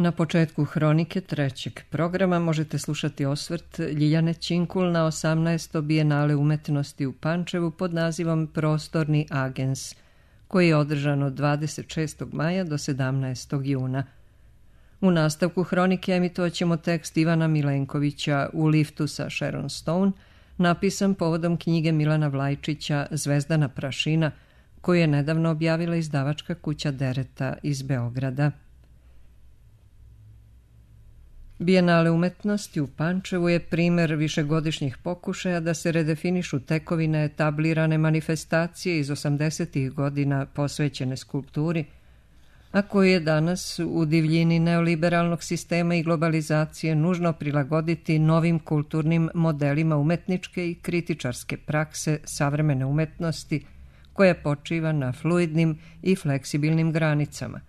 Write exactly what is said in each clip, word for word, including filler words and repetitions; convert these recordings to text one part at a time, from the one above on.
Na početku hronike trećeg programa možete slušati osvrt Ljiljane Činkul na osamnaesto Bijenale umetnosti u Pančevu pod nazivom Prostorni agens, koji je održan od dvadeset šestog maja do sedamnaestog juna. U nastavku hronike emitovat ćemo tekst Ivana Milenkovića U liftu sa Sharon Stone, napisan povodom knjige Milana Vlajčića Zvezdana prašina, koju je nedavno objavila izdavačka kuća Dereta iz Beograda. Bijenale umetnosti u Pančevu je primer višegodišnjih pokušaja da se redefinišu tekovine etablirane manifestacije iz osamdesetih godina posvećene skulpturi, a koju je danas u divljini neoliberalnog sistema i globalizacije nužno prilagoditi novim kulturnim modelima umetničke i kritičarske prakse savremene umetnosti, koja počiva na fluidnim i fleksibilnim granicama.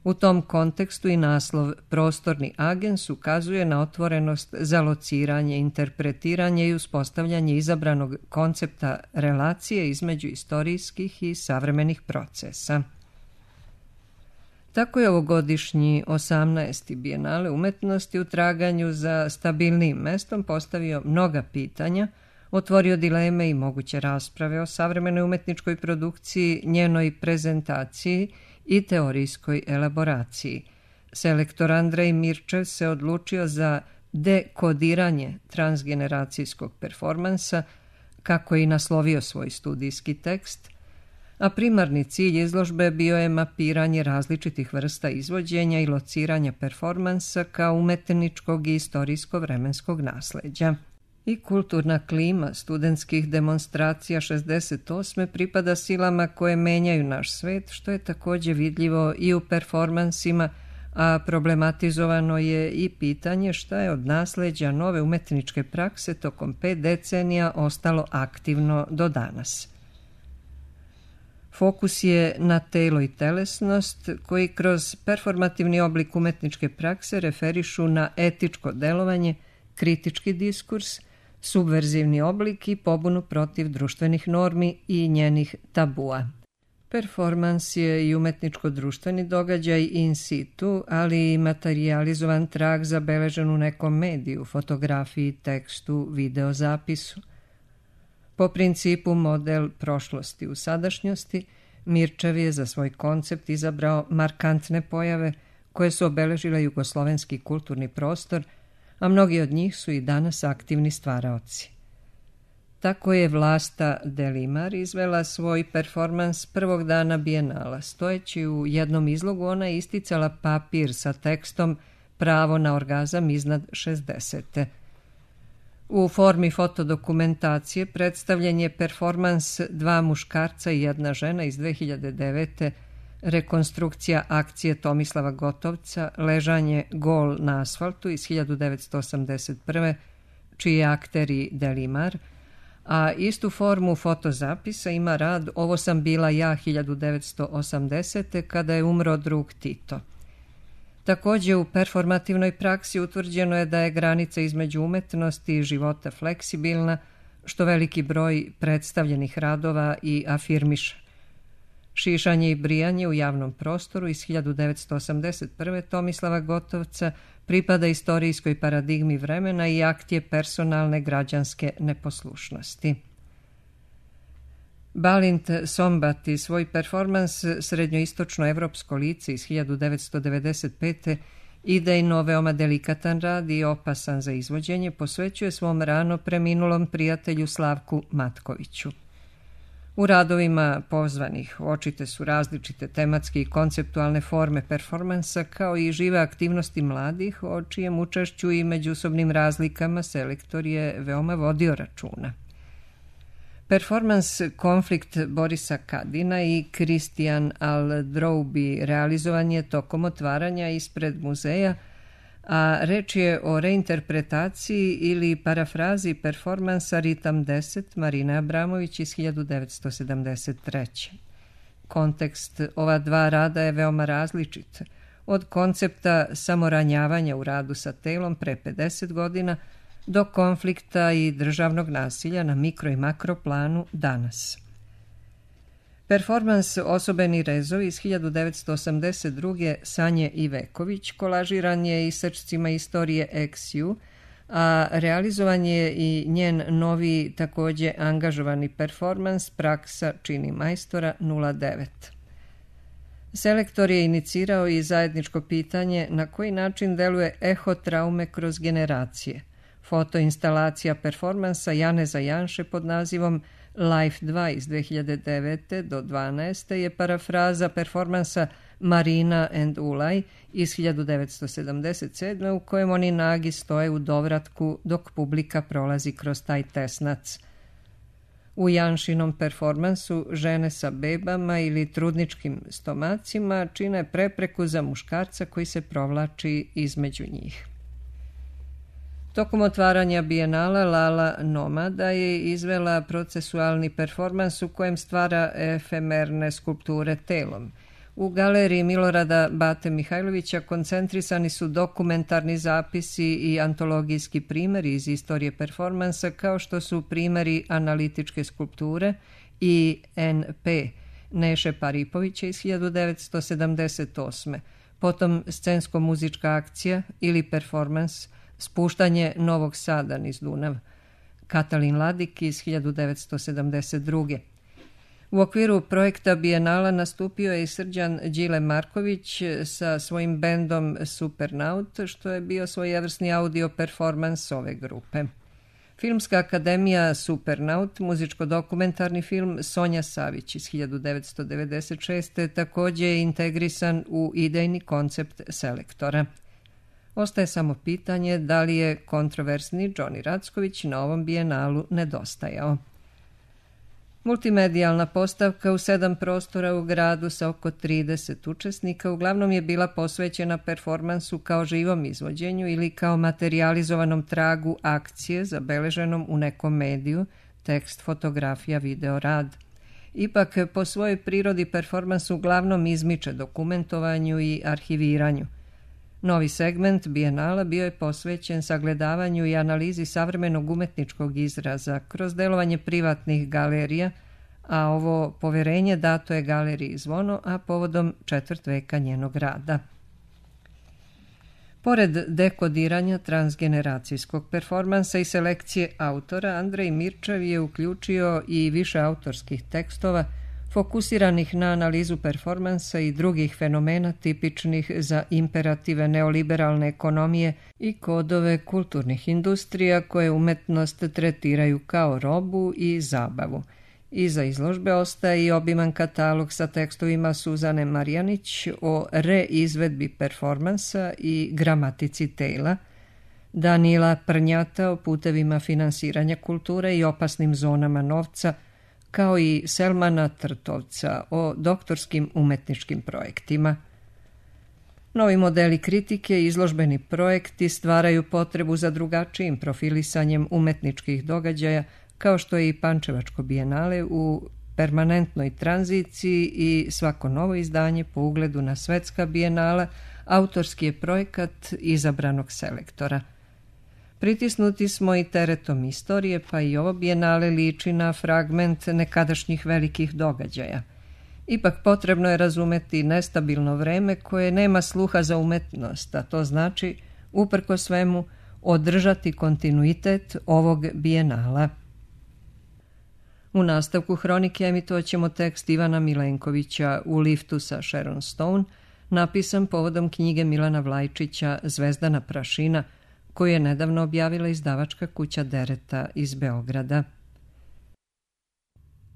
U tom kontekstu i naslov Prostorni agens ukazuje na otvorenost za lociranje, interpretiranje i uspostavljanje izabranog koncepta relacije između istorijskih i savremenih procesa. Tako je ovogodišnji osamnaesti Bijenale umetnosti u traganju za stabilnijim mestom postavio mnoga pitanja, otvorio dileme i moguće rasprave o savremenoj umetničkoj produkciji, njenoj prezentaciji i teorijskoj elaboraciji. Selektor Andrej Mirčev se odlučio za dekodiranje transgeneracijskog performansa, kako je i naslovio svoj studijski tekst, a primarni cilj izložbe bio je mapiranje različitih vrsta izvođenja i lociranja performansa kao umetničkog i istorijsko-vremenskog nasleđa. I kulturna klima studentskih demonstracija šezdeset osme pripada silama koje menjaju naš svet, što je također vidljivo i u performansima, a problematizovano je i pitanje šta je od nasleđa nove umetničke prakse tokom pet decenija ostalo aktivno do danas. Fokus je na telo i telesnost, koji kroz performativni oblik umetničke prakse referišu na etičko delovanje, kritički diskurs, subverzivni oblik i pobunu protiv društvenih normi i njenih tabua. Performans je i umetničko-društveni događaj in situ, ali i materijalizovan trag zabeležen u nekom mediju, fotografiji, tekstu, videozapisu. Po principu model prošlosti u sadašnjosti, Mirčev je za svoj koncept izabrao markantne pojave koje su obeležile jugoslovenski kulturni prostor, a mnogi od njih su i danas aktivni stvaraoci. Tako je Vlasta Delimar izvela svoj performans prvog dana Bijenala. Stojeći u jednom izlogu ona je isticala papir sa tekstom Pravo na orgazam iznad šezdesete. U formi fotodokumentacije predstavljen je performans Dva muškarca i jedna žena iz dve hiljade devete. Rekonstrukcija akcije Tomislava Gotovca Ležanje gol na asfaltu iz hiljadu devetsto osamdeset prve. čiji je akteri Delimar, a istu formu fotozapisa ima rad Ovo sam bila ja hiljadu devetsto osamdesete. kada je umro drug Tito. Također u performativnoj praksi utvrđeno je da je granica između umetnosti i života fleksibilna, što veliki broj predstavljenih radova i afirmiše. Šišanje i brijanje u javnom prostoru iz hiljadu devetsto osamdeset prve. Tomislava Gotovca pripada istorijskoj paradigmi vremena i akt je personalne građanske neposlušnosti. Balint Sombati svoj performans Srednjoistočno-evropsko lice iz hiljadu devetsto devedeset pete. idejno veoma delikatan rad i opasan za izvođenje posvećuje svom rano preminulom prijatelju Slavku Matkoviću. U radovima pozvanih očite su različite tematske i konceptualne forme performansa kao i žive aktivnosti mladih, o čijem učešću i međusobnim razlikama selektor je veoma vodio računa. Performans Konflikt Borisa Kadina i Kristijan Al-Droubi realizovan je tokom otvaranja ispred muzeja, a reč je o reinterpretaciji ili parafrazi performansa Ritam deset Marine Abramović iz hiljadu devetsto sedamdeset treće. Kontekst ova dva rada je veoma različit, od koncepta samoranjavanja u radu sa telom pre pedeset godina do konflikta i državnog nasilja na mikro i makro planu danas. Performans Osobeni rezovi iz hiljadu devetsto osamdeset druge. Sanje Iveković kolažiran je isečcima istorije Ex Ju, a realizovan je i njen novi takođe angažovani performans Praksa čini majstora nula devet. Selektor je inicirao i zajedničko pitanje na koji način deluje eho traume kroz generacije. Fotoinstalacija performansa Janeza Janše pod nazivom Life dva iz dve hiljade devete. do dvanaeste. je parafraza performansa Marina and Ulaj iz hiljadu devetsto sedamdeset sedme. u kojem oni nagi stoje u dovratku dok publika prolazi kroz taj tesnac. U Janšinom performansu žene sa bebama ili trudničkim stomacima čine prepreku za muškarca koji se provlači između njih. Tokom otvaranja Bijenala Lala Nomada je izvela procesualni performans u kojem stvara efemerne skulpture telom. U galeriji Milorada Bate Mihajlovića koncentrisani su dokumentarni zapisi i antologijski primeri iz istorije performansa, kao što su primeri analitičke skulpture i en pe Neše Paripovića iz hiljadu devetsto sedamdeset osme. Potom scensko-muzička akcija ili performans Spuštanje Novog Sada niz Dunav, Katalin Ladik iz hiljadu devetsto sedamdeset druge. U okviru projekta Bijenala nastupio je i Srđan Đile Marković sa svojim bendom Supernaut, što je bio svojevrsni audio performans ove grupe. Filmska akademija Supernaut, muzičko-dokumentarni film Sonja Savić iz hiljadu devetsto devedeset šeste. takođe je integrisan u idejni koncept selektora. Ostaje samo pitanje da li je kontroversni Džoni Racković na ovom Bijenalu nedostajao. Multimedijalna postavka u sedam prostora u gradu sa oko trideset učesnika uglavnom je bila posvećena performansu kao živom izvođenju ili kao materijalizovanom tragu akcije zabeleženom u nekom mediju, tekst, fotografija, video, rad. Ipak, po svojoj prirodi performans uglavnom izmiče dokumentovanju i arhiviranju. Novi segment Bijenala bio je posvećen sagledavanju i analizi savremenog umetničkog izraza kroz delovanje privatnih galerija, a ovo poverenje dato je galeriji Zvono, a povodom četvrt veka njenog rada. Pored dekodiranja transgeneracijskog performansa i selekcije autora, Andrej Mirčev je uključio i više autorskih tekstova fokusiranih na analizu performansa i drugih fenomena tipičnih za imperative neoliberalne ekonomije i kodove kulturnih industrija koje umetnost tretiraju kao robu i zabavu. Iza izložbe ostaje i obiman katalog sa tekstovima Suzane Marjanić o reizvedbi performansa i gramatici tela, Danila Prnjata o putevima finansiranja kulture i opasnim zonama novca, kao i Selmana Trtovca o doktorskim umetničkim projektima. Novi modeli kritike i izložbeni projekti stvaraju potrebu za drugačijim profilisanjem umetničkih događaja, kao što je i Pančevačko bijenale u permanentnoj tranziciji i svako novo izdanje po ugledu na svetska bijenala autorski je projekat izabranog selektora. Pritisnuti smo i teretom istorije, pa i ovo bijenale liči na fragment nekadašnjih velikih događaja. Ipak potrebno je razumeti nestabilno vreme koje nema sluha za umetnost, a to znači, uprko svemu, održati kontinuitet ovog bijenala. U nastavku hronike emitovat ćemo tekst Ivana Milenkovića U liftu sa Sharon Stone, napisan povodom knjige Milana Vlajčića Zvezdana prašina, koju je nedavno objavila izdavačka kuća Dereta iz Beograda.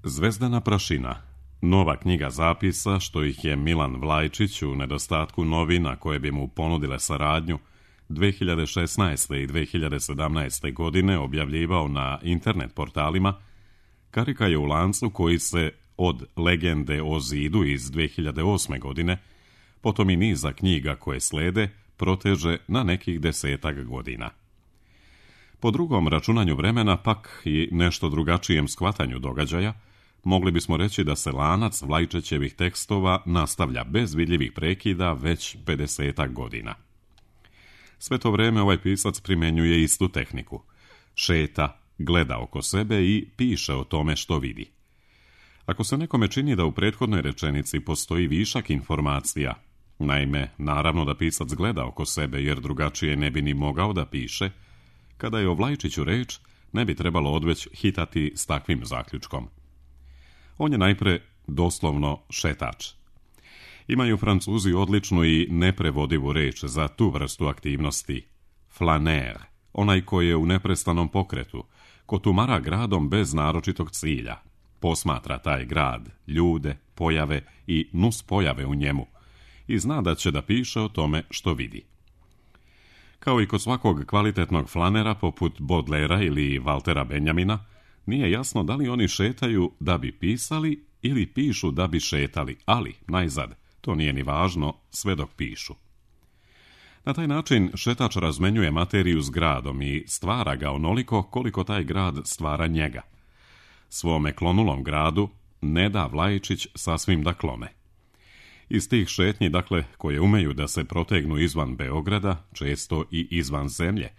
Zvezdana prašina, nova knjiga zapisa što ih je Milan Vlajčić u nedostatku novina koje bi mu ponudile saradnju dve hiljade šesnaeste. i dve hiljade sedamnaeste. godine objavljivao na internet portalima, karika je u lancu koji se od Legende o zidu iz dve hiljade osme. godine, potom i niza knjiga koje slede, proteže na nekih desetak godina. Po drugom računanju vremena, pak i nešto drugačijem shvatanju događaja, mogli bismo reći da se lanac Vlajčićevih tekstova nastavlja bez vidljivih prekida već pedesetak godina. Sve to vreme ovaj pisac primenjuje istu tehniku. Šeta, gleda oko sebe i piše o tome što vidi. Ako se nekome čini da u prethodnoj rečenici postoji višak informacija, naime, naravno da pisac gleda oko sebe jer drugačije ne bi ni mogao da piše, kada je o Vlajčiću reč, ne bi trebalo odveć hitati s takvim zaključkom. On je najpre doslovno šetač. Imaju Francuzi odličnu i neprevodivu reč za tu vrstu aktivnosti. Flaner, onaj koji je u neprestanom pokretu, ko tumara gradom bez naročitog cilja. Posmatra taj grad, ljude, pojave i nus pojave u njemu i zna da će da piše o tome što vidi. Kao i kod svakog kvalitetnog flanera poput Baudelaira ili Waltera Benjamina, nije jasno da li oni šetaju da bi pisali ili pišu da bi šetali, ali, najzad, to nije ni važno sve dok pišu. Na taj način šetač razmenjuje materiju s gradom i stvara ga onoliko koliko taj grad stvara njega. Svome klonulom gradu ne da Vlajčić sasvim da klone. Iz tih šetnji, dakle, koje umeju da se protegnu izvan Beograda, često i izvan zemlje,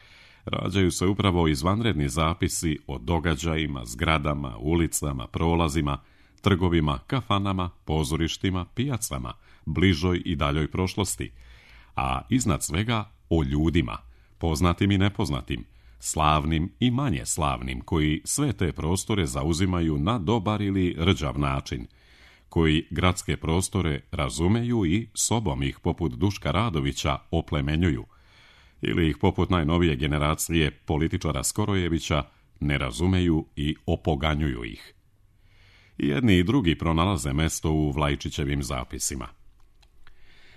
rađaju se upravo izvanredni zapisi o događajima, zgradama, ulicama, prolazima, trgovima, kafanama, pozorištima, pijacama, bližoj i daljoj prošlosti, a iznad svega o ljudima, poznatim i nepoznatim, slavnim i manje slavnim, koji sve te prostore zauzimaju na dobar ili rđav način, koji gradske prostore razumeju i sobom ih poput Duška Radovića oplemenjuju, ili ih poput najnovije generacije političara Skorojevića ne razumeju i opoganjuju ih. I jedni i drugi pronalaze mesto u Vlajčićevim zapisima.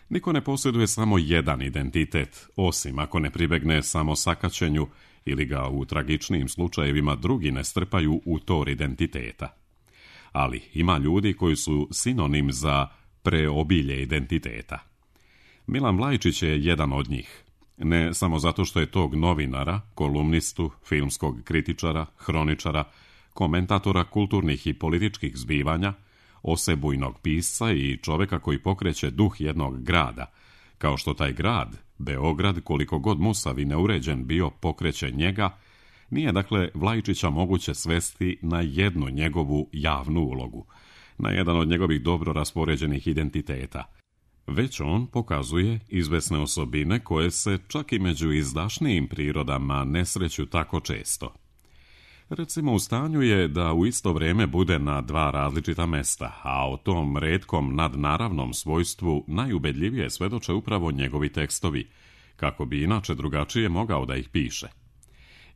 Niko ne posjeduje samo jedan identitet, osim ako ne pribegne samo sakaćenju ili ga u tragičnijim slučajevima drugi ne strpaju u tor identiteta. Ali ima ljudi koji su sinonim za preobilje identiteta. Milan Vlajčić je jedan od njih. Ne samo zato što je tog novinara, kolumnistu, filmskog kritičara, hroničara, komentatora kulturnih i političkih zbivanja, osebujnog pisca i čoveka koji pokreće duh jednog grada, kao što taj grad, Beograd, koliko god musav i neuređen bio, pokreće njega, nije dakle Vlajčića moguće svesti na jednu njegovu javnu ulogu, na jedan od njegovih dobro raspoređenih identiteta. Već on pokazuje izvesne osobine koje se čak i među izdašnijim prirodama ne sreću tako često. Recimo, u stanju je da u isto vrijeme bude na dva različita mesta, a o tom retkom nadnaravnom svojstvu najubedljivije svedoče upravo njegovi tekstovi, kako bi inače drugačije mogao da ih piše.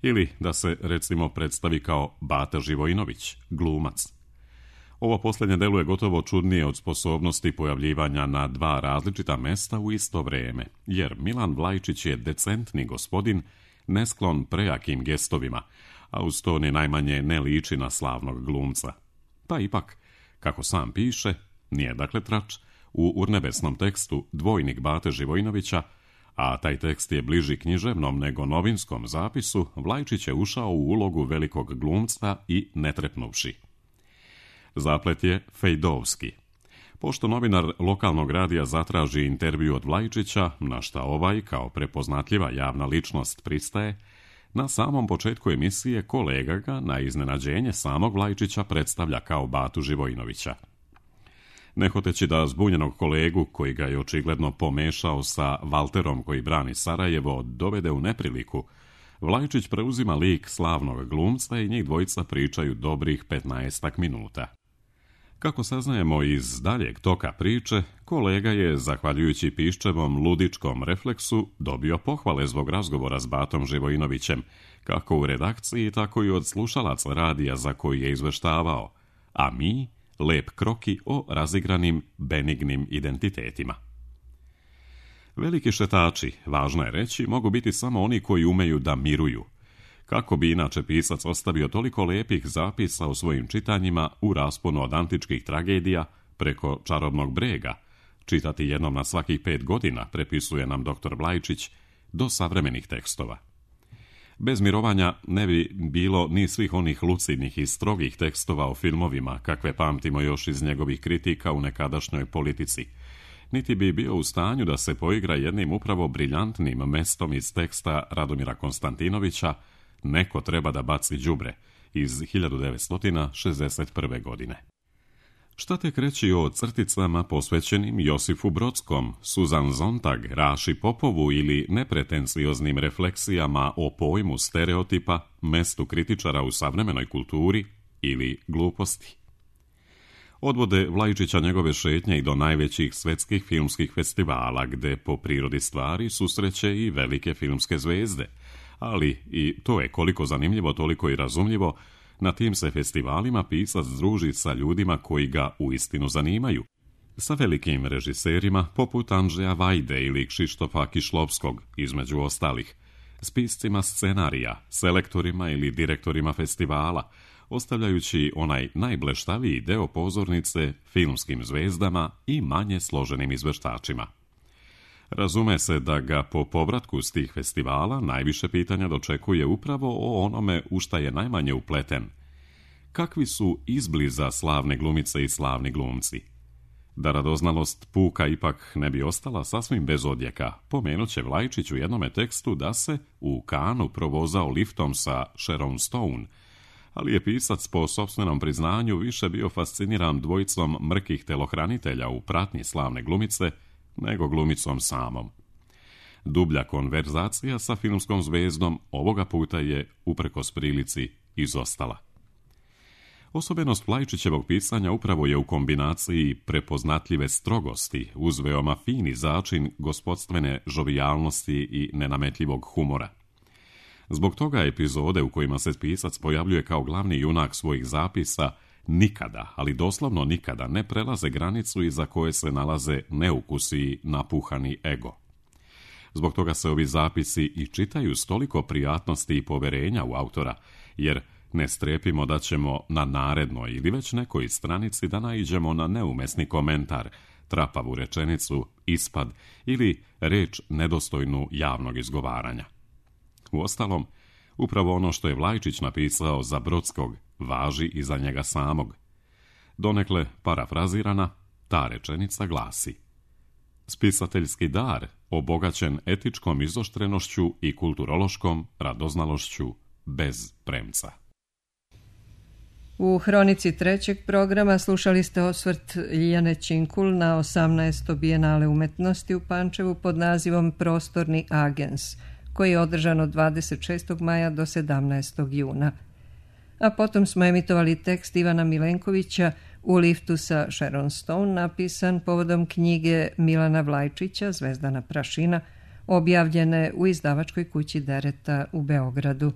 Ili da se, recimo, predstavi kao Bata Živojinović, glumac. Ovo posljednje deluje gotovo čudnije od sposobnosti pojavljivanja na dva različita mesta u isto vrijeme, jer Milan Vlajčić je decentni gospodin, nesklon prejakim gestovima, a uz to ni najmanje ne liči na slavnog glumca. Pa ipak, kako sam piše, nije dakle trač, u urnebesnom tekstu Dvojnik Bate Živojinovića, a taj tekst je bliži književnom nego novinskom zapisu, Vlajčić je ušao u ulogu velikog glumca i ne trepnuvši. Zaplet je fejdovski. Pošto novinar lokalnog radija zatraži intervju od Vlajčića, na šta ovaj, kao prepoznatljiva javna ličnost, pristaje, na samom početku emisije kolega ga, na iznenađenje samog Vlajčića, predstavlja kao Batu Živojinovića. Ne hoteći da zbunjenog kolegu, koji ga je očigledno pomešao sa Valterom koji brani Sarajevo, dovede u nepriliku, Vlajčić preuzima lik slavnog glumca i njih dvojica pričaju dobrih petnaestak minuta. Kako saznajemo iz daljeg toka priče, kolega je, zahvaljujući Piščevom ludičkom refleksu, dobio pohvale zbog razgovora s Batom Živojinovićem, kako u redakciji, tako i od slušalaca radija za koji je izveštavao, a mi lep kroki o razigranim, benignim identitetima. Veliki šetači, važno je reći, mogu biti samo oni koji umeju da miruju. Kako bi inače pisac ostavio toliko lepih zapisa u svojim čitanjima u rasponu od antičkih tragedija preko Čarobnog brega, čitati jednom na svakih pet godina, prepisuje nam doktor Vlajčić, do savremenih tekstova. Bez mirovanja ne bi bilo ni svih onih lucidnih i strogih tekstova o filmovima, kakve pamtimo još iz njegovih kritika u nekadašnjoj politici, niti bi bio u stanju da se poigra jednim upravo briljantnim mestom iz teksta Radomira Konstantinovića Neko treba da baci đubre iz hiljadu devetsto šezdeset prve. godine. Šta tek reći o crticama posvećenim Josifu Brodskom, Suzan Zontag, Raši Popovu ili nepretencioznim refleksijama o pojmu stereotipa, mestu kritičara u savremenoj kulturi ili gluposti? Odvode Vlaičića njegove šetnje i do najvećih svetskih filmskih festivala, gde po prirodi stvari susreće i velike filmske zvezde, ali i to je koliko zanimljivo, toliko i razumljivo. Na tim se festivalima pisac druži sa ljudima koji ga uistinu zanimaju. Sa velikim režiserima poput Andrzeja Vajde ili Krzysztofa Kišlovskog, između ostalih, s piscima scenarija, selektorima ili direktorima festivala, ostavljajući onaj najbleštaviji deo pozornice filmskim zvezdama i manje složenim izveštačima. Razume se da ga po povratku s tih festivala najviše pitanja dočekuje upravo o onome u šta je najmanje upleten. Kakvi su izbliza slavne glumice i slavni glumci? Da radoznalost puka ipak ne bi ostala sasvim bez odjeka, pomenut će Vlaičić u jednome tekstu da se u Kanu provozao liftom sa Sharon Stone, ali je pisac po sopstvenom priznanju više bio fasciniran dvojicom mrkih telohranitelja u pratnji slavne glumice nego glumicom samom. Dublja konverzacija sa filmskom zvezdom ovoga puta je, uprkos prilici, izostala. Osobenost Vlaičićevog pisanja upravo je u kombinaciji prepoznatljive strogosti uz veoma fini začin gospodstvene žovijalnosti i nenametljivog humora. Zbog toga epizode u kojima se pisac pojavljuje kao glavni junak svojih zapisa nikada, ali doslovno nikada, ne prelaze granicu iza koje se nalaze neukusi i napuhani ego. Zbog toga se ovi zapisi i čitaju s toliko prijatnosti i poverenja u autora, jer ne strepimo da ćemo na narednoj ili već nekoj stranici da naiđemo na neumesni komentar, trapavu rečenicu, ispad ili reč nedostojnu javnog izgovaranja. Uostalom, upravo ono što je Vlaičić napisao za Brodskog važi i za njega samog. Donekle parafrazirana, ta rečenica glasi: spisateljski dar, obogaćen etičkom izoštrenošću i kulturološkom radoznalošću bez premca. U hronici trećeg programa slušali ste osvrt Ljiljane Činkul na osamnaesto Bijenale umetnosti u Pančevu pod nazivom Prostorni agens, koji je održan od dvadeset šestog maja do sedamnaestog juna. A potom smo emitovali tekst Ivana Milenkovića U liftu sa Sharon Stone, napisan povodom knjige Milana Vlaičića Zvezdana prašina, objavljene u izdavačkoj kući Dereta u Beogradu.